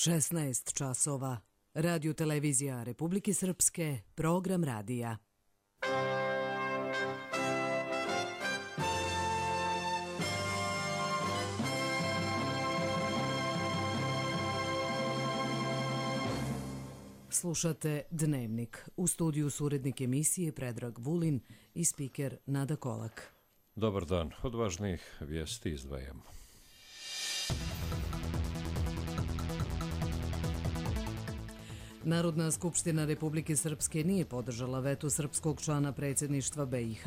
16 časova. Radio televizija Republike Srpske, program radija. Slušate Dnevnik. U studiju su urednik emisije Predrag Vulin i spiker Nada Kolak. Dobar dan. Od važnijih vijesti izdvajamo. Narodna skupština Republike Srpske nije podržala veto srpskog člana predsjedništva BiH.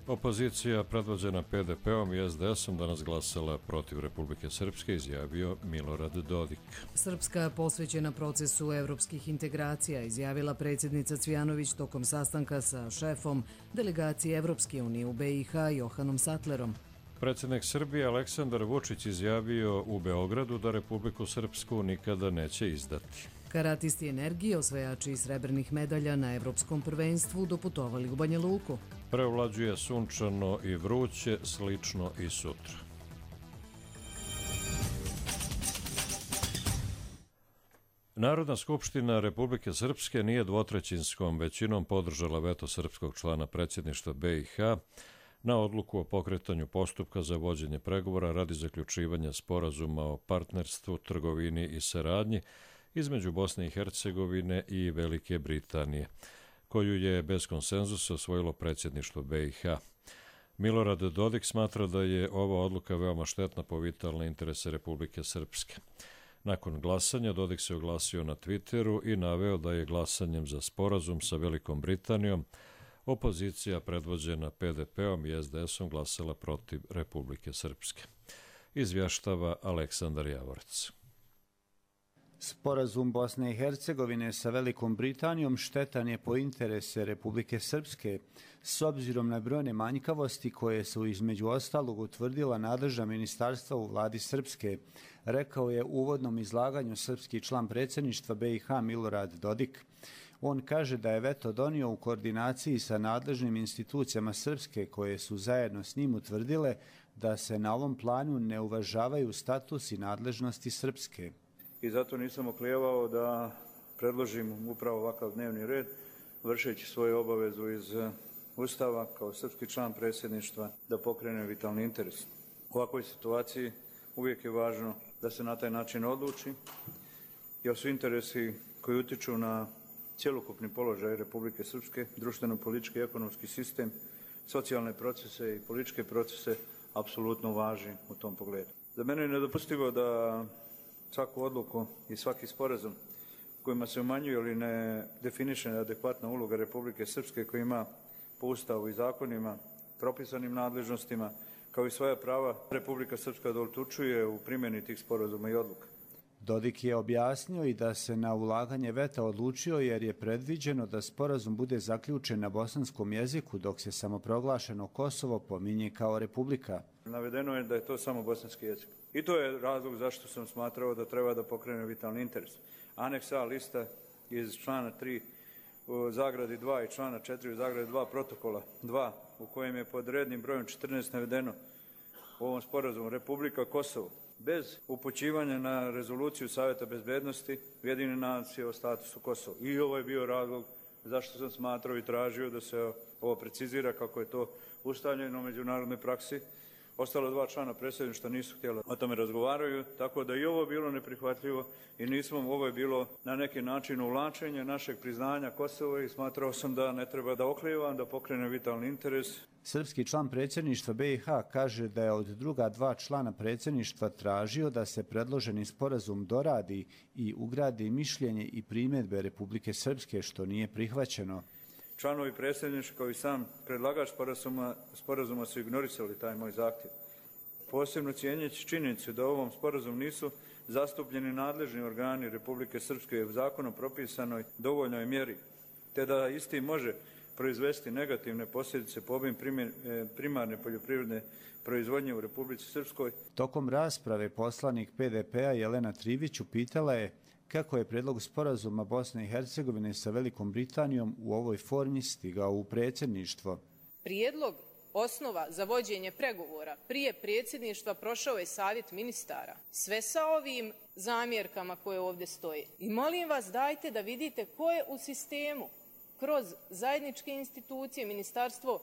Opozicija predvođena PDP-om i SDS-om danas glasala protiv Republike Srpske, izjavio Milorad Dodik. Srpska posvećena procesu evropskih integracija, izjavila predsjednica Cvijanović tokom sastanka sa šefom delegacije Evropske unije u BiH Johanom Sattlerom. Predsjednik Srbije Aleksandar Vučić izjavio u Beogradu da Republiku Srpsku nikada neće izdati. Karatisti energije, osvajači srebrnih medalja na Evropskom prvenstvu, doputovali u Banja Luku. Prevlađuje sunčano i vruće, slično i sutra. Narodna skupština Republike Srpske nije dvotrećinskom većinom podržala veto srpskog člana predsjedništva BiH na odluku o pokretanju postupka za vođenje pregovora radi zaključivanja sporazuma o partnerstvu, trgovini i saradnji između Bosne i Hercegovine i Velike Britanije, koju je bez konsenzusa osvojilo predsjedništvo BiH. Milorad Dodik smatra da je ova odluka veoma štetna po vitalne interese Republike Srpske. Nakon glasanja Dodik se oglasio na Twitteru i naveo da je glasanjem za sporazum sa Velikom Britanijom opozicija predvođena PDP-om i SDS-om glasala protiv Republike Srpske. Izvještava Aleksandar Javorec. Sporazum Bosne i Hercegovine sa Velikom Britanijom štetan je po interese Republike Srpske, s obzirom na brojne manjkavosti koje su između ostalog utvrdila nadležna ministarstva u vladi Srpske, rekao je u uvodnom izlaganju srpski član predsjedništva BiH Milorad Dodik. On kaže da je veto donio u koordinaciji sa nadležnim institucijama Srpske koje su zajedno s njim utvrdile da se na ovom planu ne uvažavaju status i nadležnosti Srpske. I zato nisam oklijevao da predložim upravo ovakav dnevni red, vršeći svoju obavezu iz Ustava kao srpski član predsjedništva da pokrene vitalni interes. U ovakvoj situaciji uvijek je važno da se na taj način odluči, jer su interesi koji utiču na cjelokupni položaj Republike Srpske, društveno-politički i ekonomski sistem, socijalne procese i političke procese apsolutno važni u tom pogledu. Za mene je nedopustivo da svaku odluku i svaki sporazum kojima se umanjuje ili ne definiše adekvatna uloga Republike Srpske koja ima po Ustavu i zakonima, propisanim nadležnostima, kao i svoja prava Republika Srpska da odlučuje u primjeni tih sporazuma i odluka. Dodik je objasnio i da se na ulaganje veta odlučio jer je predviđeno da sporazum bude zaključen na bosanskom jeziku dok se samoproglašeno Kosovo pominje kao republika. Navedeno je da je to samo bosanski jezik. I to je razlog zašto sam smatrao da treba da pokrene vitalni interes. Aneks A lista iz člana 3 u zagradi 2 i člana 4 u zagradi 2 protokola 2 u kojem je pod rednim brojem 14 navedeno u ovom sporazumu Republika Kosovo bez upućivanja na rezoluciju Savjeta bezbednosti Ujedinjenih nacija o statusu Kosova. I ovo je bio razlog zašto sam smatrao i tražio da se ovo precizira kako je to ustaljeno u međunarodnoj praksi. Ostalo dva člana predsjedništva nisu htjeli o tome razgovaraju, tako da i ovo bilo neprihvatljivo i ovo je bilo na neki način uvlačenje našeg priznanja Kosova i smatrao sam da ne treba da oklijevam, da pokrene vitalni interes. Srpski član predsjedništva BiH kaže da je od druga dva člana predsjedništva tražio da se predloženi sporazum doradi i ugradi mišljenje i primjedbe Republike Srpske, što nije prihvaćeno. Članovi predsjedništva kao i sam predlagač sporazuma su ignorisali taj moj zahtjev. Posebno cijenjeći činjenicu da u ovom sporazumu nisu zastupljeni nadležni organi Republike Srpske u zakonom propisanoj dovoljnoj mjeri, te da isti može proizvesti negativne posljedice po obim primarne poljoprivredne proizvodnje u Republici Srpskoj. Tokom rasprave poslanik PDP-a Jelena Trivić upitala je kako je predlog sporazuma Bosne i Hercegovine sa Velikom Britanijom u ovoj formi stigao u predsjedništvo. Prijedlog osnova za vođenje pregovora prije predsjedništva prošao je savjet ministara. Sve sa ovim zamjerkama koje ovdje stoje. I molim vas, dajte da vidite ko je u sistemu kroz zajedničke institucije, Ministarstvo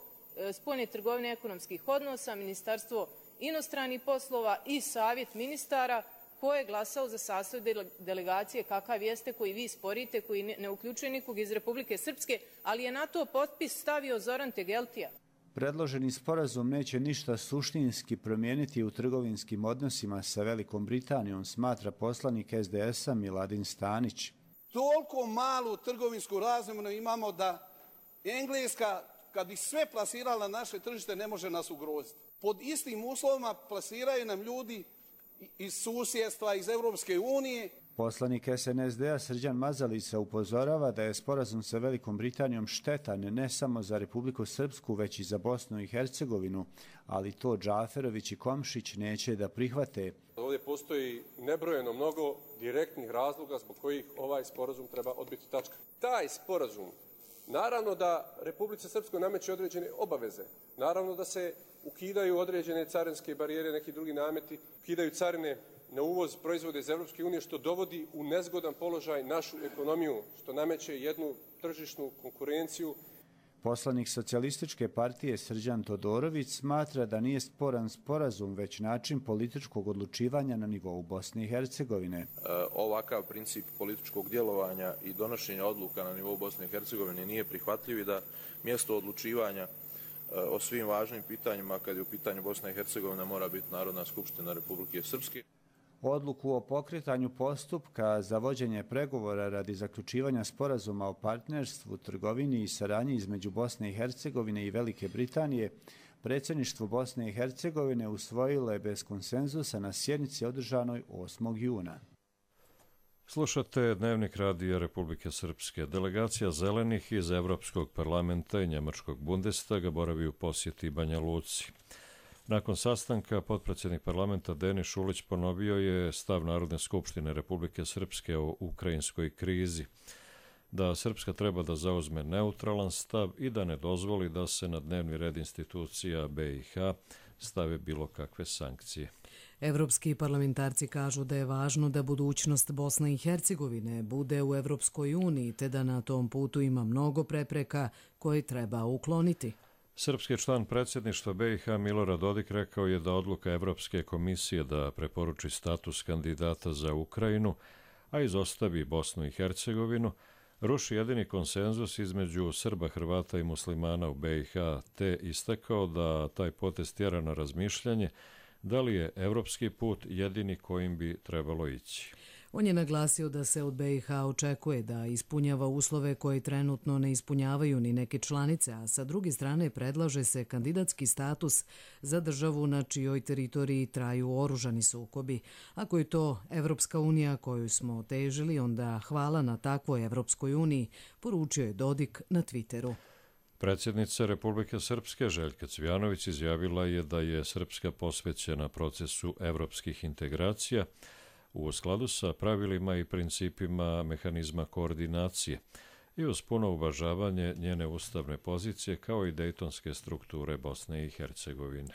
spoljne trgovine i ekonomskih odnosa, Ministarstvo inostranih poslova i savjet ministara, ko je glasao za sastav delegacije kakav jeste, koji vi sporite, koji ne uključuje nikog iz Republike Srpske, ali je na to potpis stavio Zoran Tegeltija. Predloženi sporazum neće ništa suštinski promijeniti u trgovinskim odnosima sa Velikom Britanijom, smatra poslanik SDS-a Miladin Stanić. Toliko malu trgovinsku razmjenu imamo da Engleska, kad bi sve plasirala na naše tržište, ne može nas ugroziti. Pod istim uslovima plasiraju nam ljudi iz susjedstva, iz Europske unije. Poslanik SNSD-a Srđan Mazalica upozorava da je sporazum sa Velikom Britanijom štetan ne samo za Republiku Srpsku, već i za Bosnu i Hercegovinu, ali to Džaferović i Komšić neće da prihvate. Ovdje postoji nebrojeno mnogo direktnih razloga zbog kojih ovaj sporazum treba odbiti tačka. Taj sporazum, naravno da Republici Srpskoj nameće određene obaveze, naravno da se ukidaju određene carinske barijere, neki drugi nameti, ukidaju carine na uvoz proizvode iz Europske unije, što dovodi u nezgodan položaj našu ekonomiju, što nameće jednu tržišnu konkurenciju. Poslanik Socijalističke partije Srđan Todorović smatra da nije sporan sporazum, već način političkog odlučivanja na nivou Bosne i Hercegovine. Ovakav princip političkog djelovanja i donošenja odluka na nivou Bosne i Hercegovine nije prihvatljiv i da mjesto odlučivanja o svim važnim pitanjima, kad je u pitanju Bosna i Hercegovina, mora biti Narodna skupština Republike Srpske. Odluku o pokretanju postupka za vođenje pregovora radi zaključivanja sporazuma o partnerstvu, trgovini i saradnji između Bosne i Hercegovine i Velike Britanije predsjedništvo Bosne i Hercegovine usvojilo je bez konsenzusa na sjednici održanoj 8. juna. Slušate Dnevnik radija Republike Srpske. Delegacija Zelenih iz Evropskog parlamenta i Njemačkog Bundestaga boravi u posjeti Banja Luci. Nakon sastanka, potpredsjednik parlamenta Denis Šulić ponovio je stav Narodne skupštine Republike Srpske o ukrajinskoj krizi, da Srpska treba da zauzme neutralan stav i da ne dozvoli da se na dnevni red institucija BiH stave bilo kakve sankcije. Evropski parlamentarci kažu da je važno da budućnost Bosne i Hercegovine bude u Evropskoj uniji, te da na tom putu ima mnogo prepreka koje treba ukloniti. Srpski član predsjedništva BiH Milorad Dodik rekao je da odluka Evropske komisije da preporuči status kandidata za Ukrajinu, a izostavi Bosnu i Hercegovinu, ruši jedini konsenzus između Srba, Hrvata i muslimana u BiH, te istakao da taj potez tjera na razmišljanje da li je evropski put jedini kojim bi trebalo ići. On je naglasio da se od BiH očekuje da ispunjava uslove koje trenutno ne ispunjavaju ni neke članice, a sa druge strane predlaže se kandidatski status za državu na čijoj teritoriji traju oružani sukobi. Ako je to Evropska unija koju smo težili, onda hvala na takvoj Evropskoj uniji, poručio je Dodik na Twitteru. Predsjednica Republike Srpske Željka Cvijanović izjavila je da je Srpska posvećena procesu evropskih integracija u skladu sa pravilima i principima mehanizma koordinacije i uz puno uvažavanje njene ustavne pozicije kao i dejtonske strukture Bosne i Hercegovine.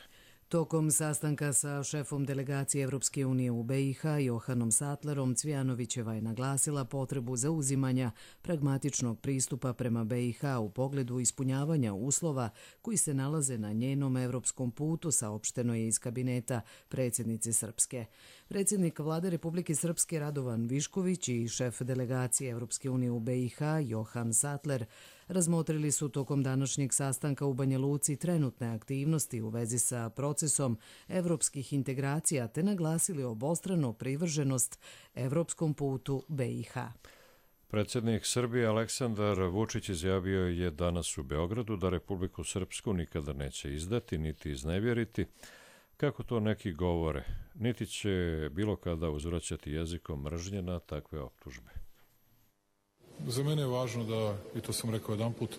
Tokom sastanka sa šefom delegacije Evropske unije u BiH Johanom Sattlerom, Cvijanovićeva je naglasila potrebu zauzimanja pragmatičnog pristupa prema BiH u pogledu ispunjavanja uslova koji se nalaze na njenom evropskom putu, saopšteno je iz kabineta predsjednice Srpske. Predsjednik vlade Republike Srpske Radovan Višković i šef delegacije Evropske unije u BiH Johan Sattler razmotrili su tokom današnjeg sastanka u Banja Luci trenutne aktivnosti u vezi sa procesom evropskih integracija te naglasili obostranu privrženost evropskom putu BiH. Predsjednik Srbije Aleksandar Vučić izjavio je danas u Beogradu da Republiku Srpsku nikada neće izdati niti iznevjeriti, kako to neki govore, niti će bilo kada uzvraćati jezikom mržnje na takve optužbe. Za mene je važno da, i to sam rekao jedanput,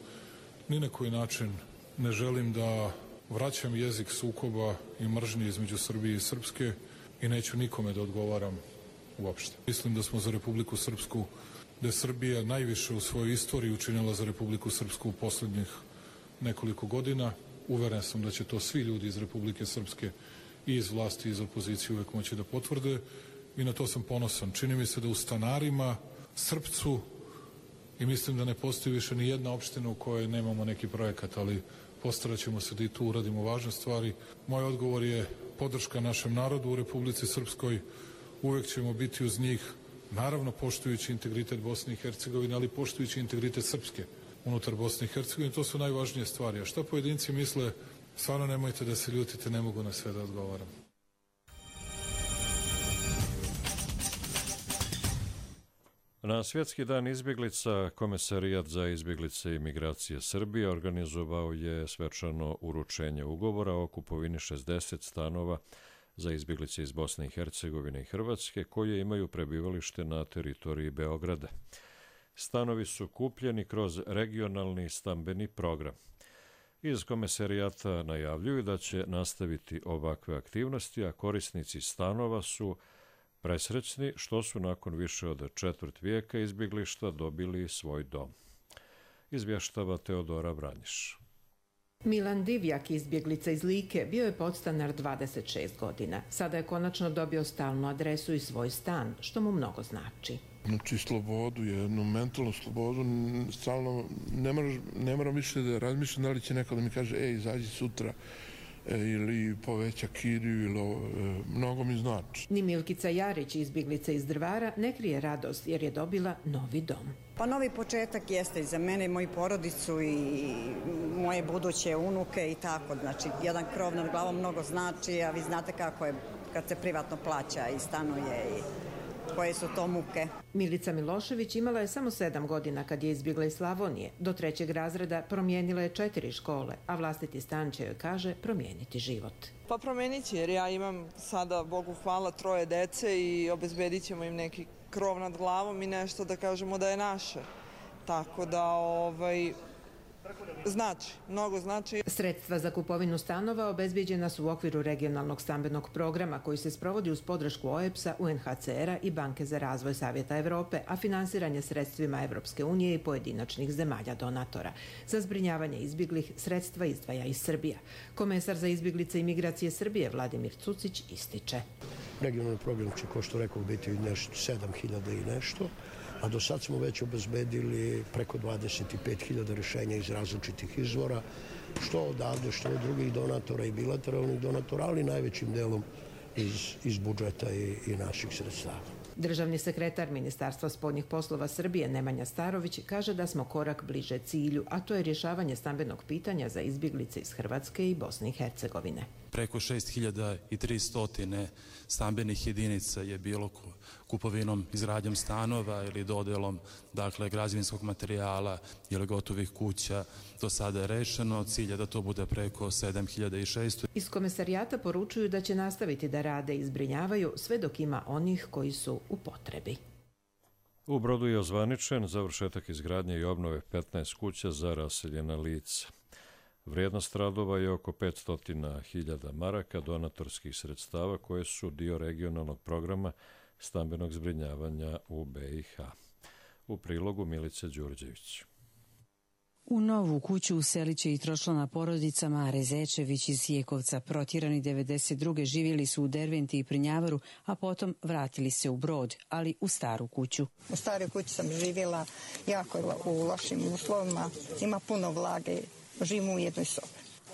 ni na koji način ne želim da vraćam jezik sukoba i mržnje između Srbije i Srpske i neću nikome da odgovaram uopšte. Mislim da smo za Republiku Srpsku, da je Srbija najviše u svojoj istoriji učinila za Republiku Srpsku u posljednjih nekoliko godina uveren sam da će to svi ljudi iz Republike Srpske i iz vlasti i iz opozicije uvek moći da potvrde i na to sam ponosan. Čini mi se da u Stanarima, Srpcu, i mislim da ne postoji više ni jedna opština u kojoj nemamo neki projekat, ali postarat ćemo se da i tu uradimo važne stvari. Moj odgovor je podrška našem narodu u Republici Srpskoj. Uvek ćemo biti uz njih, naravno poštujući integritet Bosne i Hercegovine, ali poštujući integritet Srpske unutar Bosne i Hercegovine. To su najvažnije stvari. A šta pojedinci misle, stvarno nemojte da se ljutite, ne mogu na sve da odgovaram. Na Svjetski dan izbjeglica Komesarijat za izbjeglice i migracije Srbije organizovao je svečano uručenje ugovora o kupovini 60 stanova za izbjeglice iz Bosne i Hercegovine i Hrvatske koje imaju prebivalište na teritoriji Beograda. Stanovi su kupljeni kroz regionalni stambeni program. Iz Komesarijata najavljuju da će nastaviti ovakve aktivnosti, a korisnici stanova su presrećni što su nakon više od četvrt vijeka izbjeglištva dobili svoj dom. Izvještava Teodora Vranjiš. Milan Divjak, izbjeglica iz Like, bio je podstanar 26 godina. Sada je konačno dobio stalnu adresu i svoj stan, što mu mnogo znači. Znači slobodu, jednu mentalnu slobodu, stalno ne moram više da razmišljam da li će neko da mi kaže izađi sutra ili poveća kiriju ili mnogo mi znači. Ni Milkica Jarić, izbjeglica iz Drvara, ne krije radost jer je dobila novi dom. Pa novi početak jeste i za mene i moju porodicu i moje buduće unuke i tako. Znači, jedan krov nad glavom mnogo znači, a vi znate kako je kad se privatno plaća i stanuje i koje su to muke. Milica Milošević imala je samo 7 godina kad je izbjegla iz Slavonije. Do 3. razreda promijenila je 4 škole, a vlastiti stan će joj, kaže, promijeniti život. Pa promijenit će jer ja imam sada, Bogu hvala, 3 dece i obezbedit ćemo im neki krov nad glavom i nešto da kažemo da je naše. Tako da, znači, mnogo znači. Sredstva za kupovinu stanova obezbijeđena su u okviru regionalnog stambenog programa koji se sprovodi uz podršku OEBS-a, UNHCR-a i Banke za razvoj Savjeta Evrope, a finansiranje sredstvima Evropske unije i pojedinačnih zemalja donatora. Za zbrinjavanje izbjeglih sredstva izdvaja iz Srbija. Komesar za izbjeglice i migracije Srbije Vladimir Cucić ističe. Regionalni program će, kao što rekao, biti 7.000 i nešto, a do sad smo već obezbedili preko 25.000 rješenja iz različitih izvora, što odavde, što od drugih donatora i bilateralnih donatora, ali najvećim delom iz budžeta i naših sredstava. Državni sekretar Ministarstva spoljnih poslova Srbije Nemanja Starović kaže da smo korak bliže cilju, a to je rješavanje stambenog pitanja za izbjeglice iz Hrvatske i Bosne i Hercegovine. Preko 6.300 stambenih jedinica je bilo kupovinom, izgradnjom stanova ili dodelom, dakle, građevinskog materijala ili gotovih kuća. Do sada je rešeno, cilj je da to bude preko 7.600. Iz Komesarijata poručuju da će nastaviti da rade i zbrinjavaju sve dok ima onih koji su u potrebi. U Brodu je ozvaničen završetak izgradnje i obnove 15 kuća za raseljena lica. Vrijednost radova je oko 500.000 maraka donatorskih sredstava koje su dio regionalnog programa stambenog zbrinjavanja u BiH. U prilogu Milice Đurđević. U novu kuću uselit će i tročlana porodica Mare Zečević iz Jekovca. Protjerani 92. živjeli su u Derventi i Prnjavaru, a potom vratili se u Brod, ali u staru kuću. U staroj kući sam živjela jako u lošim uslovima, ima puno vlage, živim u jednoj sobi.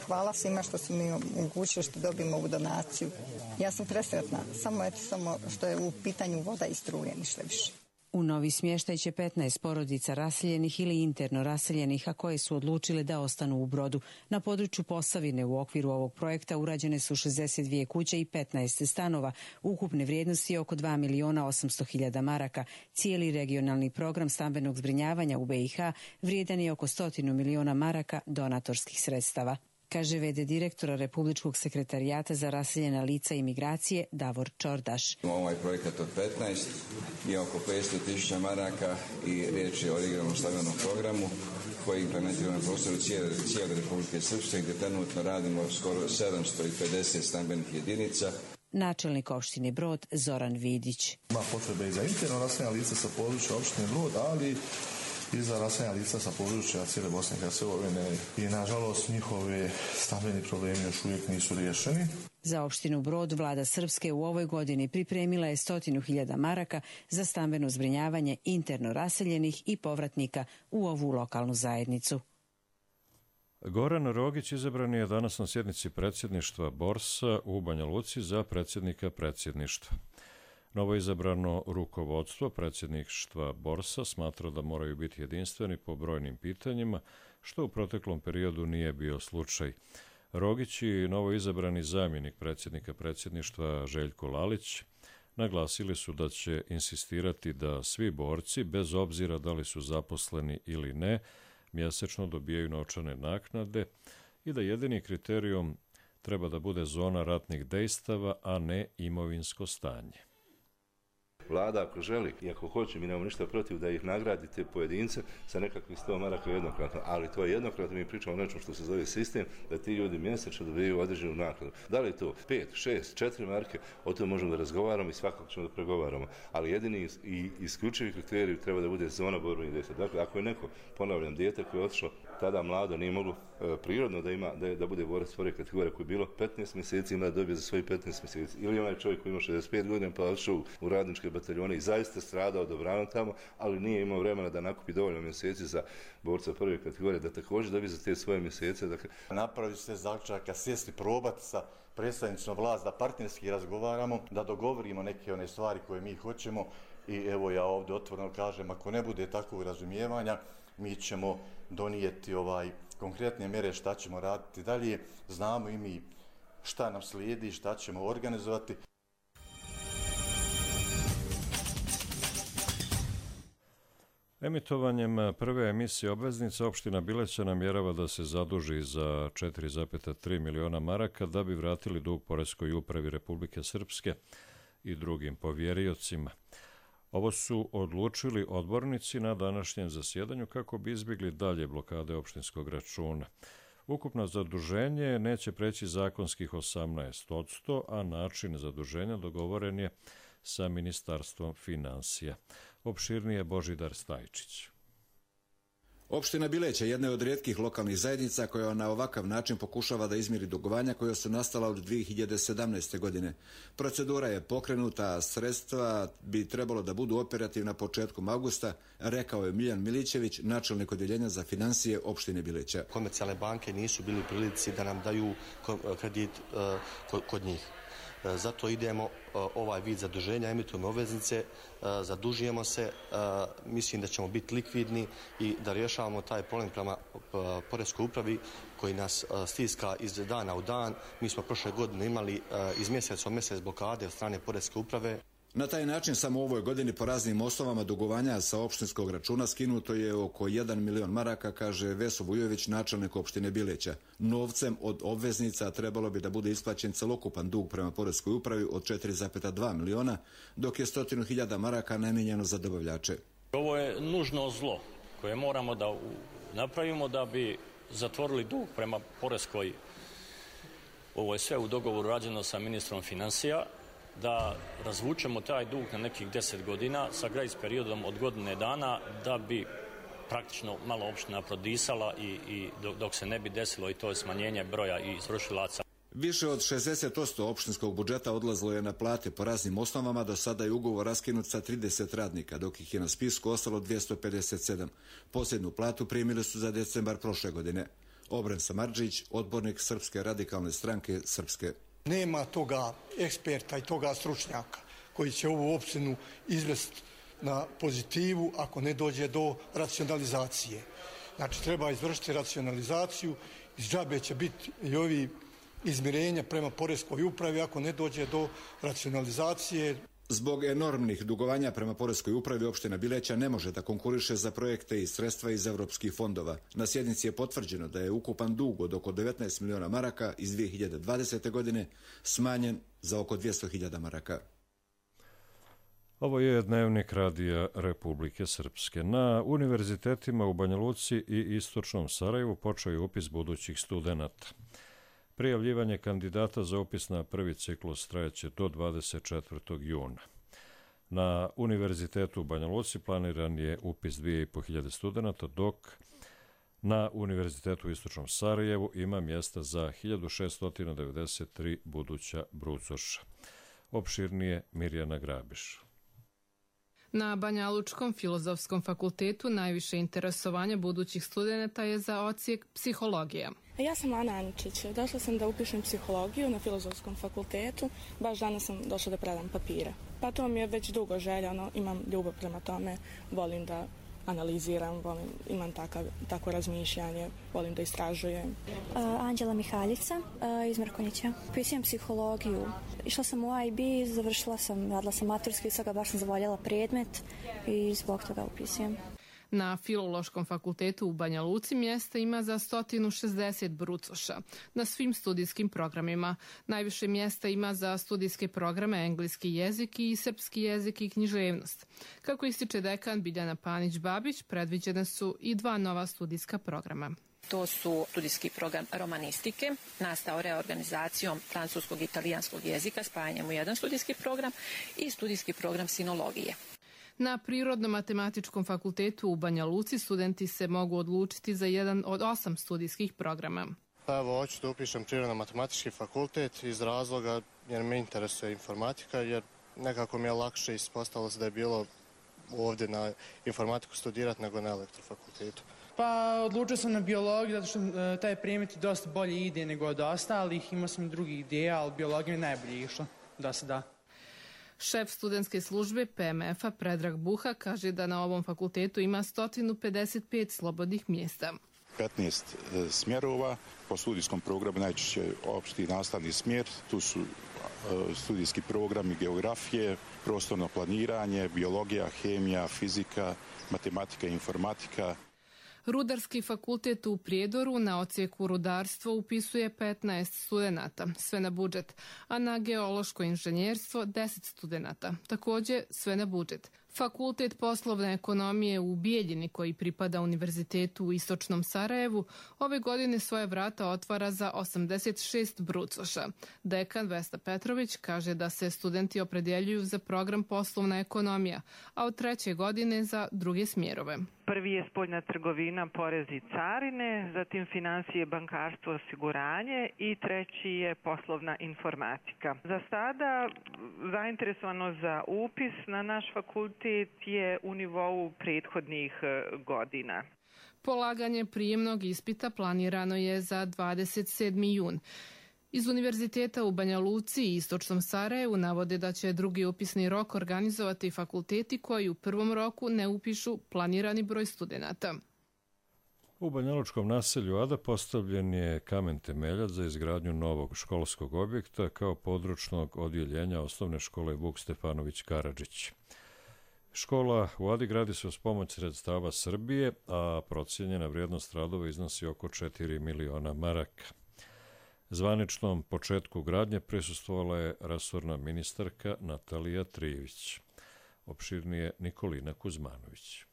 Hvala svima što su mi omogućili što dobijemo ovu donaciju. Ja sam presretna, samo što je u pitanju voda i struje, ništa više. U novi smještaj će 15 porodica raseljenih ili interno raseljenih, a koje su odlučile da ostanu u Brodu. Na području Posavine u okviru ovog projekta urađene su 62 kuće i 15 stanova. Ukupne vrijednosti je oko 2.800.000 maraka. Cijeli regionalni program stambenog zbrinjavanja u BiH vrijedan je oko 100 miliona maraka donatorskih sredstava, kaže v.d. direktora Republičkog sekretarijata za raseljena lica i migracije Davor Čordaš. Ovaj projekat od 15 je oko 500.000 maraka i riječ je o regionalnom stambenom programu koji implementira na prostoru cijele Republike Srpske gdje trenutno radimo skoro 750 stambenih jedinica. Načelnik opštine Brod Zoran Vidić. Ima potrebe i za interno raseljena lica sa područja opštine Brod, ali i za raseljena lica sa područja cijele Bosne i Hercegovine i nažalost njihovi stambeni problemi još uvijek nisu riješeni. Za opštinu Brod vlada Srpske u ovoj godini pripremila je 100.000 maraka za stambeno zbrinjavanje interno raseljenih i povratnika u ovu lokalnu zajednicu. Goran Rogić izabran je danas na sjednici predsjedništva Borsa u Banja Luci za predsjednika predsjedništva. Novoizabrano rukovodstvo predsjedništva Borsa smatra da moraju biti jedinstveni po brojnim pitanjima, što u proteklom periodu nije bio slučaj. Rogić i novoizabrani zamjenik predsjednika predsjedništva Željko Lalić naglasili su da će insistirati da svi borci, bez obzira da li su zaposleni ili ne, mjesečno dobijaju novčane naknade i da jedini kriterijum treba da bude zona ratnih dejstava, a ne imovinsko stanje. Vlada ako želi i ako hoće, mi nemamo ništa protiv da ih nagradite pojedince sa nekakvih 100 maraka jednokratno, ali to je jednokratno, mi pričamo o nečem što se zove sistem, da ti ljudi mjesečno dobijaju određenu naknadu. Da li je to 5, 6, 4 marke, o tom možemo da razgovaramo i svakako ćemo da pregovaramo, ali jedini i isključivi kriterij treba da bude zona borbenih dejstava. Dakle, ako je neko, ponavljam, dijete koje je otišlo tada mlado, nije moglo prirodno da bude borac prve kategorije koji je bilo 15 mjeseci, ima da dobije za svoj 15 mjeseci. Ili onaj čovjek koji ima 65 godina pa otišao u radničke bataljone i zaista stradao dobrano tamo, ali nije imao vremena da nakupi dovoljno mjeseci za borca prve kategorije, da također dobije za te svoje mjesece. Dakle, napravi se zaključak, sjesti probati sa predstavnicima vlast, da partnerski razgovaramo, da dogovorimo neke one stvari koje mi hoćemo i evo ja ovdje otvoreno kažem, ako ne bude takvog razumijevanja, mi ćemo donijeti konkretne mjere šta ćemo raditi dalje, znamo i mi šta nam slijedi, šta ćemo organizovati. Emitovanjem prve emisije obveznice opština Bileća namjerava da se zaduži za 4,3 miliona maraka da bi vratili dug Poreskoj upravi Republike Srpske i drugim povjeriocima. Ovo su odlučili odbornici na današnjem zasjedanju kako bi izbjegli dalje blokade opštinskog računa. Ukupno zaduženje neće preći zakonskih 18%, a način zaduženja dogovoren je sa Ministarstvom finansija. Opširnije Božidar Stajčić. Opština Bileća jedna je od rijetkih lokalnih zajednica koja na ovakav način pokušava da izmiri dugovanja koja su nastala od 2017. godine. Procedura je pokrenuta, a sredstva bi trebalo da budu operativna početkom avgusta, rekao je Miljan Milićević, načelnik odjeljenja za financije opštine Bileća. Komercijalne banke nisu bili u prilici da nam daju kredit kod njih. Zato idemo ovaj vid zaduženja, emitujemo obveznice, zadužujemo se, mislim da ćemo biti likvidni i da rješavamo taj problem prema Poreskoj upravi koji nas stiska iz dana u dan. Mi smo prošle godine imali iz mjeseca u mjesec blokade od strane Poreske uprave. Na taj način samo u ovoj godini po raznim osnovama dugovanja sa opštinskog računa skinuto je oko 1 milion maraka, kaže Veso Vujović, načelnik opštine Bileća. Novcem od obveznica trebalo bi da bude isplaćen celokupan dug prema Poreskoj upravi od 4,2 miliona, dok je 100.000 maraka namijenjeno za dobavljače. Ovo je nužno zlo koje moramo da napravimo da bi zatvorili dug prema Poreskoj. Ovo je sve u dogovoru rađeno sa ministrom financija, da razvučemo taj dug na nekih 10 godina sa grace periodom od godine dana da bi praktično malo opština prodisala i dok se ne bi desilo i to je smanjenje broja i izvršilaca. Više od 60% opštinskog budžeta odlazilo je na plate po raznim osnovama, do sada je ugovor raskinut sa 30 radnika, dok ih je na spisku ostalo 257. Posljednju platu primili su za decembar prošle godine. Obren Samardžić, odbornik Srpske radikalne stranke Srpske. Nema toga eksperta i toga stručnjaka koji će ovu opštinu izvesti na pozitivu ako ne dođe do racionalizacije. Znači treba izvršiti racionalizaciju, iz džabe će biti i ovi izmirenja prema Poreskoj upravi ako ne dođe do racionalizacije. Zbog enormnih dugovanja prema Poreskoj upravi opština Bileća ne može da konkuriše za projekte i sredstva iz evropskih fondova. Na sjednici je potvrđeno da je ukupan dug od oko 19 miliona maraka iz 2020. godine smanjen za oko 200.000 maraka. Ovo je dnevnik Radija Republike Srpske. Na univerzitetima u Banja Luci i Istočnom Sarajevu počeo je upis budućih studenata. Prijavljivanje kandidata za upis na prvi ciklus trajeće do 24. juna. Na Univerzitetu u Banja Luci planiran je upis 2500 studenta, dok na Univerzitetu u Istočnom Sarajevu ima mjesta za 1693 buduća brucoša. Opširnije Mirjana Grabiš. Na Banjalučkom filozofskom fakultetu najviše interesovanja budućih studenata je za odsjek psihologija. Ja sam Ana Aničić. Došla sam da upišem psihologiju na filozofskom fakultetu. Baš danas sam došla da predam papire. Pa to mi je već dugo željeno. Imam ljubav prema tome. Volim da analiziram, imam tako razmišljanje, volim da istražujem. Anđela Mihaljica iz Mrkonjića. Upisujem psihologiju. Išla sam u IB, radila sam maturski, sada baš sam zavoljela predmet i zbog toga upisujem. Na Filološkom fakultetu u Banja Luci mjesta ima za 160 brucoša na svim studijskim programima. Najviše mjesta ima za studijske programe engleski jezik i srpski jezik i književnost. Kako ističe dekan Biljana Panić-Babić, predviđene su i 2 nova studijska programa. To su studijski program romanistike, nastao reorganizacijom francuskog i italijanskog jezika, spajanjem u jedan studijski program, i studijski program sinologije. Na Prirodno-matematičkom fakultetu u Banja Luci studenti se mogu odlučiti za jedan od 8 studijskih programa. Pa evo, hoću da upišem Prirodno-matematički fakultet iz razloga jer me interesuje informatika, jer nekako mi je lakše ispostavilo se da je bilo ovdje na informatiku studirati nego na elektrofakultetu. Pa odlučio sam na biologiju zato što taj predmet dosta bolje ide nego od ostalih. Imao sam i drugih ideja, ali biologija mi najbolje išla do sada. Šef studentske službe PMF-a Predrag Buha kaže da na ovom fakultetu ima 155 slobodnih mjesta. 15 smjerova, po studijskom programu najčešće opšti nastavni smjer, tu su studijski programi geografije, prostorno planiranje, biologija, hemija, fizika, matematika i informatika. Rudarski fakultet u Prijedoru na odsjeku rudarstvo upisuje 15 studenata, sve na budžet, a na geološko inženjerstvo 10 studenata, također sve na budžet. Fakultet poslovne ekonomije u Bijeljini, koji pripada Univerzitetu u Istočnom Sarajevu, ove godine svoje vrata otvara za 86 brucoša. Dekan Vesna Petrović kaže da se studenti opredjeljuju za program poslovna ekonomija, a od 3. godine za druge smjerove. Prvi je spoljna trgovina, porez i carine, zatim financije, bankarstvo, osiguranje i 3. je poslovna informatika. Za sada zainteresovano za upis na naš fakultet je u nivou prethodnih godina. Polaganje prijemnog ispita planirano je za 27. jun. Iz Univerziteta u Banja Luci i Istočnom Sarajevu navode da će drugi upisni rok organizovati fakulteti koji u prvom roku ne upišu planirani broj studenata. U banjalučkom naselju Ada postavljen je kamen temeljac za izgradnju novog školskog objekta kao područnog odjeljenja osnovne škole Vuk Stefanović Karadžić. Škola u Adi gradi se uz pomoć sredstava Srbije, a procijenjena vrijednost radova iznosi oko 4 miliona maraka. Zvaničnom početku gradnje prisustvovala je resorna ministarka Natalija Trijević. Opširnije Nikolina Kuzmanović.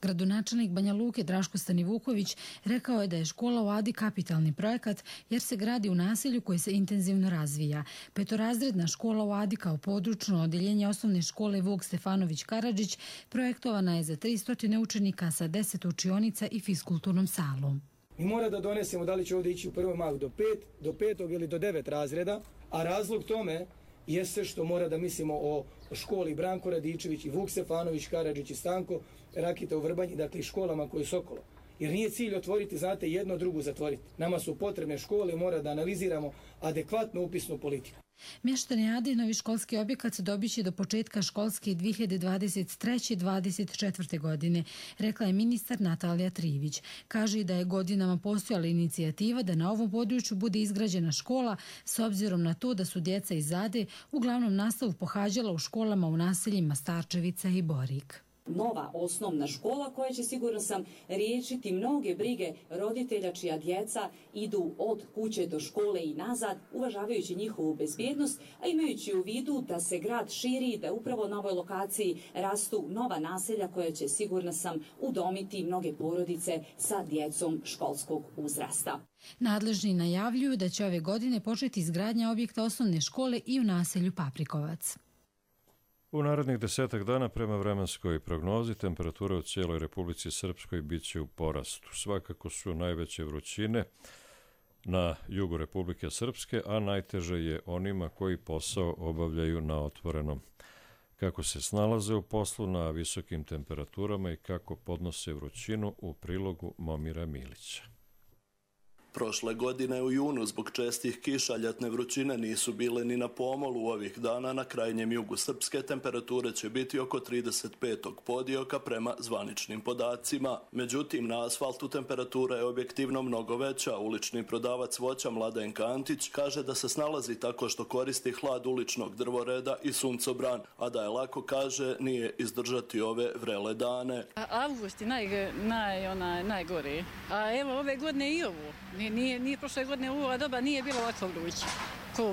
Gradonačelnik Banja Luke Draško Stanivuković rekao je da je škola u Adi kapitalni projekat jer se gradi u naselju koji se intenzivno razvija. Petorazredna škola u Adi kao područno odjeljenje osnovne škole Vuk Stefanović Karadžić projektovana je za 300 učenika sa 10 učionica i fiskulturnom salom. Mi mora da donesemo da li će ovdje ići u prvom mahu do 5. ili do 9 razreda, a razlog tome jeste što mora da mislimo o školi Branko Radičević i Vuk Stefanović Karadžić i Stanko Rakita u Vrbanji, dakle i školama koje su okolo. Jer nije cilj otvoriti, znate, jedno drugu zatvoriti. Nama su potrebne škole, mora da analiziramo adekvatnu upisnu politiku. Mještani Ade novi školski objekat dobit će do početka školske 2023-2024. godine, rekla je ministar Natalija Trijević. Kaže i da je godinama postojala inicijativa da na ovom području bude izgrađena škola s obzirom na to da su djeca iz Ade uglavnom nastavu pohađala u školama u naseljima Starčevica i Borik. Nova osnovna škola koja će, sigurno sam, riješiti mnoge brige roditelja čija djeca idu od kuće do škole i nazad, uvažavajući njihovu bezbjednost, a imajući u vidu da se grad širi, da upravo na ovoj lokaciji rastu nova naselja koja će, sigurno sam, udomiti mnoge porodice sa djecom školskog uzrasta. Nadležni najavljuju da će ove godine početi izgradnja objekta osnovne škole i u naselju Paprikovac. U narednih 10 dana prema vremenskoj prognozi temperatura u cijeloj Republici Srpskoj bit će u porastu. Svakako su najveće vrućine na jugu Republike Srpske, a najteže je onima koji posao obavljaju na otvorenom. Kako se snalaze u poslu na visokim temperaturama i kako podnose vrućinu u prilogu Momira Milića. Prošle godine u junu zbog čestih kiša ljetne vrućine nisu bile ni na pomolu. Ovih dana na krajnjem jugu Srpske temperature će biti oko 35. podioka prema zvaničnim podacima. Međutim, na asfaltu temperatura je objektivno mnogo veća. Ulični prodavac voća Mladen Kantić kaže da se snalazi tako što koristi hlad uličnog drvoreda i suncobran, a da je lako, kaže, nije izdržati ove vrele dane. Avgust je najgori, a evo ove godine i ovo. Nije prošle godine u ova doba nije bilo ovako vruće. Ko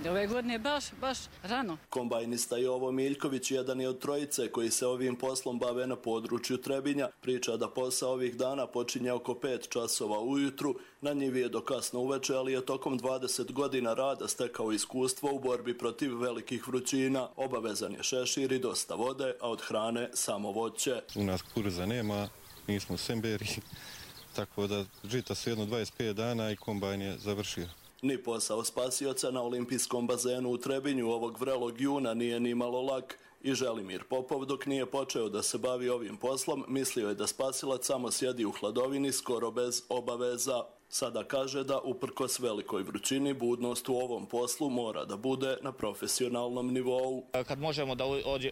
ove godine baš rano. Kombajnista Jovo Miljković jedan je od trojice koji se ovim poslom bave na području Trebinja. Priča da posao ovih dana počinje oko 5 časova ujutru. Na njivi je do kasno uveče, ali je tokom 20 godina rada stekao iskustvo u borbi protiv velikih vrućina. Obavezan je šešir i dosta vode, a od hrane samo voće. U nas kukuruza nema, nismo semberi. Tako da žita su jedno 25 dana i kombajn je završio. Ni posao spasioca na olimpijskom bazenu u Trebinju ovog vrelog juna nije ni malo lak. I Želimir Popov, dok nije počeo da se bavi ovim poslom, mislio je da spasilac samo sjedi u hladovini skoro bez obaveza. Sada kaže da uprkos velikoj vrućini budnost u ovom poslu mora da bude na profesionalnom nivou. Kad možemo da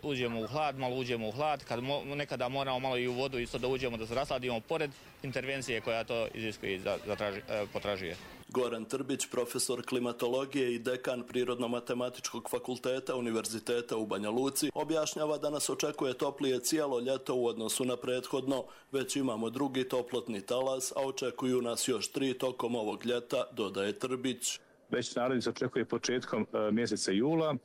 uđemo u hlad, malo uđemo u hlad, kad nekada moramo malo i u vodu isto da uđemo da se rasladimo pored intervencije koja to iziskuje i potražuje. Goran Trbić, profesor klimatologije i dekan Prirodno-matematičkog fakulteta Univerziteta u Banja Luci, objašnjava da nas očekuje toplije cijelo ljeto u odnosu na prethodno. Već imamo drugi toplotni talas, a očekuju nas još 3 tokom ovog ljeta, dodaje Trbić. Već naredni se očekuje početkom mjeseca jula.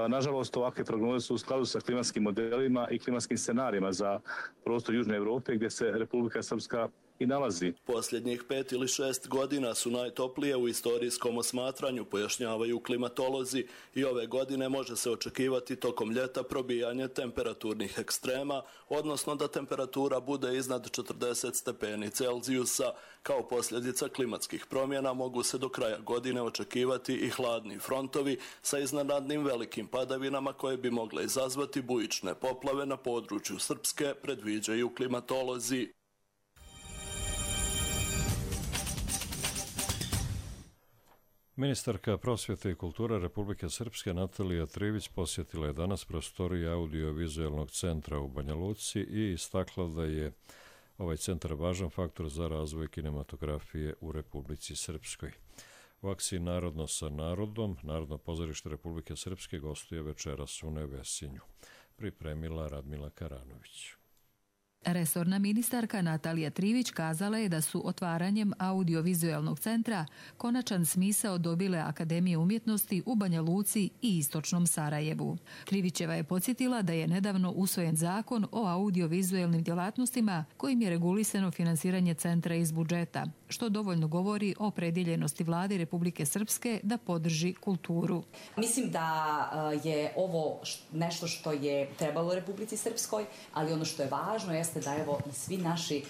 Nažalost, ovakve prognoze su u skladu sa klimatskim modelima i klimatskim scenarijima za prostor Južne Europe gdje se Republika Srpska i nalazi. Posljednjih 5 ili 6 godina su najtoplije u istorijskom osmatranju, pojašnjavaju klimatolozi, i ove godine može se očekivati tokom ljeta probijanje temperaturnih ekstrema, odnosno da temperatura bude iznad 40 stepeni Celzijusa. Kao posljedica klimatskih promjena mogu se do kraja godine očekivati i hladni frontovi sa iznenadnim velikim padavinama koje bi mogle izazvati bujične poplave na području Srpske, predviđaju klimatolozi. Ministarka prosvjete i kulture Republike Srpske Natalija Trivić posjetila je danas prostorije Audio-vizualnog centra u Banja Luci i istakla da je ovaj centar važan faktor za razvoj kinematografije u Republici Srpskoj. U akciji Narodno sa narodom, Narodno pozorište Republike Srpske gostuje večeras u Nevesinju. Pripremila Radmila Karanović. Resorna ministarka Natalija Trivić kazala je da su otvaranjem Audio-vizualnog centra konačan smisao dobile Akademije umjetnosti u Banja Luci i istočnom Sarajevu. Trivićeva je podsjetila da je nedavno usvojen zakon o audio-vizualnim djelatnostima kojim je regulisano finansiranje centra iz budžeta, što dovoljno govori o opredjeljenosti Vlade Republike Srpske da podrži kulturu. Mislim da je ovo nešto što je trebalo Republici Srpskoj, ali ono što je važno jeste da evo i svi naši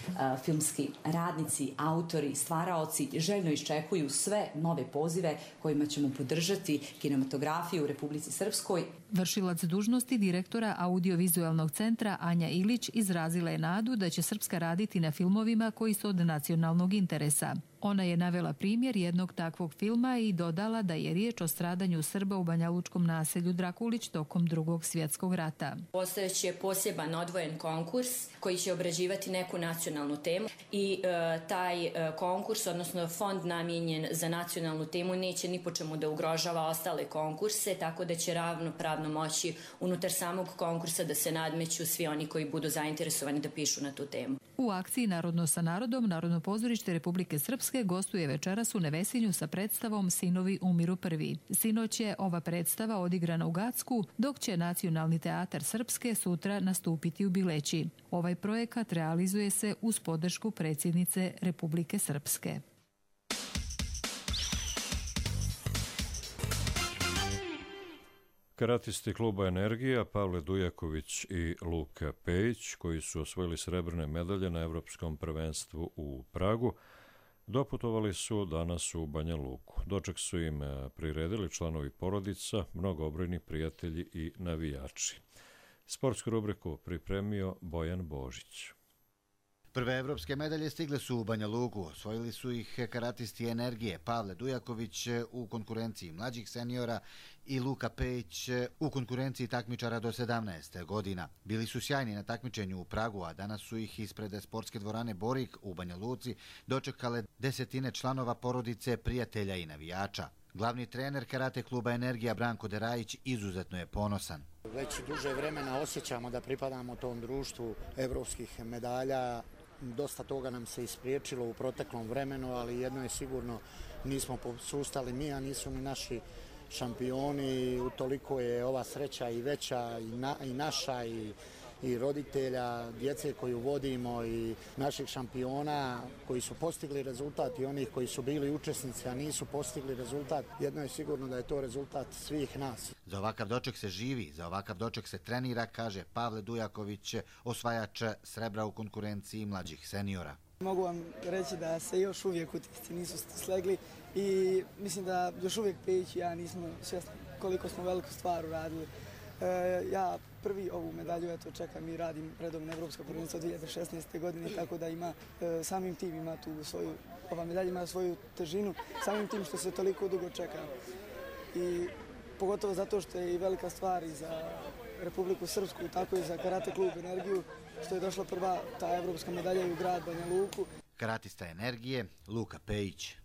filmski radnici, autori, stvaraoci željno iščekuju sve nove pozive kojima ćemo podržati kinematografiju u Republici Srpskoj. Vršilac dužnosti direktora Audio-vizualnog centra Anja Ilić izrazila je nadu da će Srpska raditi na filmovima koji su od nacionalnog interesa. Ona je navela primjer jednog takvog filma i dodala da je riječ o stradanju Srba u banjalučkom naselju Drakulić tokom Drugog svjetskog rata. Postojeći je poseban odvojen konkurs koji će obrađivati neku nacionalnu temu i taj konkurs, odnosno fond namijenjen za nacionalnu temu, neće ni po čemu da ugrožava ostale konkurse, tako da će ravnopravno moći unutar samog konkursa da se nadmeću svi oni koji budu zainteresovani da pišu na tu temu. U akciji Narodno sa narodom, Narodno pozorište Republike Srpske gostuje večeras u Nevesinju sa predstavom Sinovi umiru prvi. Sinoć je ova predstava odigrana u Gacku, dok će Nacionalni teatar Srpske sutra nastupiti u Bileći. Ovaj projekat realizuje se uz podršku predsjednice Republike Srpske. Karatisti kluba Energija, Pavle Dujaković i Luka Pejić, koji su osvojili srebrne medalje na Evropskom prvenstvu u Pragu, doputovali su danas u Banja Luku. Doček su im priredili članovi porodica, mnogobrojni prijatelji i navijači. Sportsku rubriku pripremio Bojan Božić. Prve evropske medalje stigle su u Banja Luku. Osvojili su ih karatisti Energije, Pavle Dujaković u konkurenciji mlađih seniora i Luka Pejić u konkurenciji takmičara do 17 godina. Bili su sjajni na takmičenju u Pragu, a danas su ih ispred sportske dvorane Borik u Banja Luci dočekale desetine članova porodice, prijatelja i navijača. Glavni trener karate kluba Energija Branko Derajić izuzetno je ponosan. Već duže vremena osjećamo da pripadamo tom društvu evropskih medalja. Dosta toga nam se ispriječilo u proteklom vremenu, ali jedno je sigurno, nismo posustali mi, a nisu ni naši šampioni. Utoliko je ova sreća i veća i naša i roditelja, djece koju vodimo i naših šampiona koji su postigli rezultat i onih koji su bili učesnici, a nisu postigli rezultat. Jedno je sigurno da je to rezultat svih nas. Za ovakav doček se živi, za ovakav doček se trenira, kaže Pavle Dujaković, osvajač srebra u konkurenciji mlađih seniora. Mogu vam reći da se još uvijek utisci nisu slegli i mislim da još uvijek Pejić i ja nismo svjesni koliko smo veliku stvar uradili. Ja prvi ovu medalju čekam i radim redovno evropsko prvenstvo 2016. godine, tako da ima samim tim ima tu svoju, ova medalja ima svoju težinu, samim tim što se toliko dugo čeka. I pogotovo zato što je i velika stvar i za Republiku Srpsku, tako i za karate klub Energiju, što je došla prva ta evropska medalja u grad Banja Luku. Karatista Energije, Luka Pejić.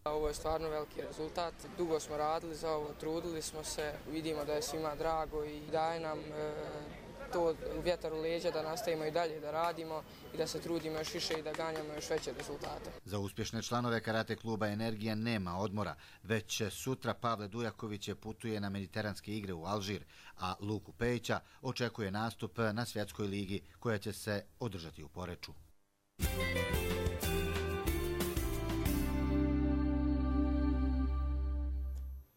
Ovo je stvarno veliki rezultat. Dugo smo radili za ovo, trudili smo se, vidimo da je svima drago i daje nam to vjetar u leđa da nastavimo i dalje da radimo i da se trudimo još više i da ganjamo još veće rezultate. Za uspješne članove karate kluba Energija nema odmora. Već sutra Pavle Dujaković putuje na mediteranske igre u Alžir, a Luku Pejića očekuje nastup na svjetskoj ligi koja će se održati u Poreču.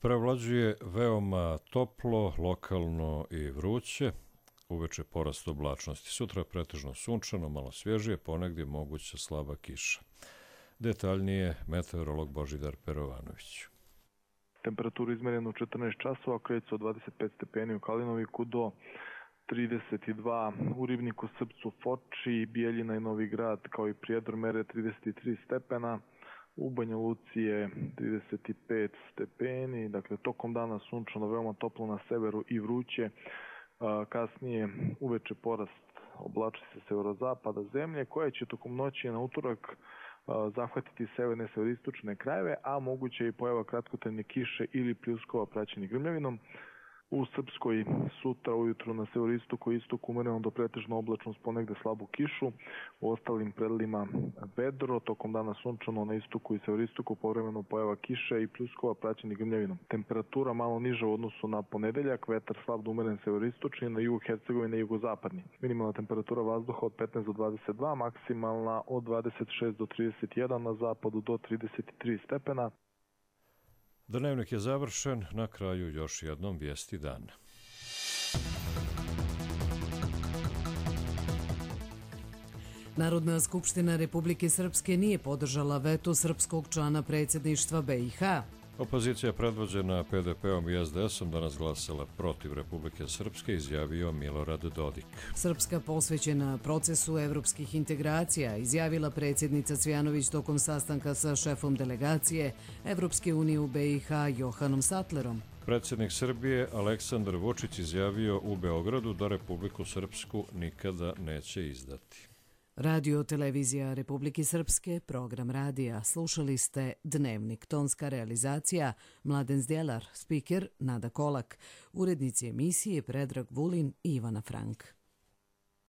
Prevlađuje veoma toplo, lokalno i vruće. Uveče porast oblačnosti. Sutra pretežno sunčano, malo svježije, ponegdje moguća slaba kiša. Detaljnije meteorolog Božidar Perovanović. Temperaturu izmerenu 14 časova, kreće od 25 stepeni u Kalinoviku do 32 u Ribniku, Srpcu, Foči, Bijeljina i Novi Grad, kao i Prijedor mere 33 stepena. U Banja Luci je 35 stepeni, dakle tokom dana sunčano, veoma toplo na severu i vruće. Kasnije uveče porast oblači se severozapada zemlje, koja će tokom noći na utorak zahvatiti severne severistočne krajeve, a moguće je i pojava kratkotrajne kiše ili pljuskova praćeni grmljavinom. U Srpskoj sutra ujutru na severistoku i istoku umereno do pretežno oblačno s ponegde slabu kišu, u ostalim predelima vedro, tokom dana sunčano na istoku i severistoku povremeno pojava kiše i pljuskova praćeni grmljavinom. Temperatura malo niža u odnosu na ponedeljak, vetar slab do umeren severistočni, na jugu Hercegovine i jugozapadni. Minimalna temperatura vazduha od 15 do 22, maksimalna od 26 do 31, na zapadu do 33 stepena. Dnevnik je završen, na kraju još jednom vijesti dana. Narodna skupština Republike Srpske nije podržala veto srpskog člana predsjedništva BiH. Opozicija predvođena PDP-om i SDS-om danas glasala protiv Republike Srpske, izjavio Milorad Dodik. Srpska posvećena procesu evropskih integracija, izjavila predsjednica Cvjanović tokom sastanka sa šefom delegacije Evropske unije u BiH Johanom Sattlerom. Predsjednik Srbije Aleksandar Vučić izjavio u Beogradu da Republiku Srpsku nikada neće izdati. Radio Televizija Republike Srpske, program radija. Slušali ste Dnevnik, tonska realizacija Mladen Zdjelar, spiker Nada Kolak, urednici emisije Predrag Vulin i Ivana Frank.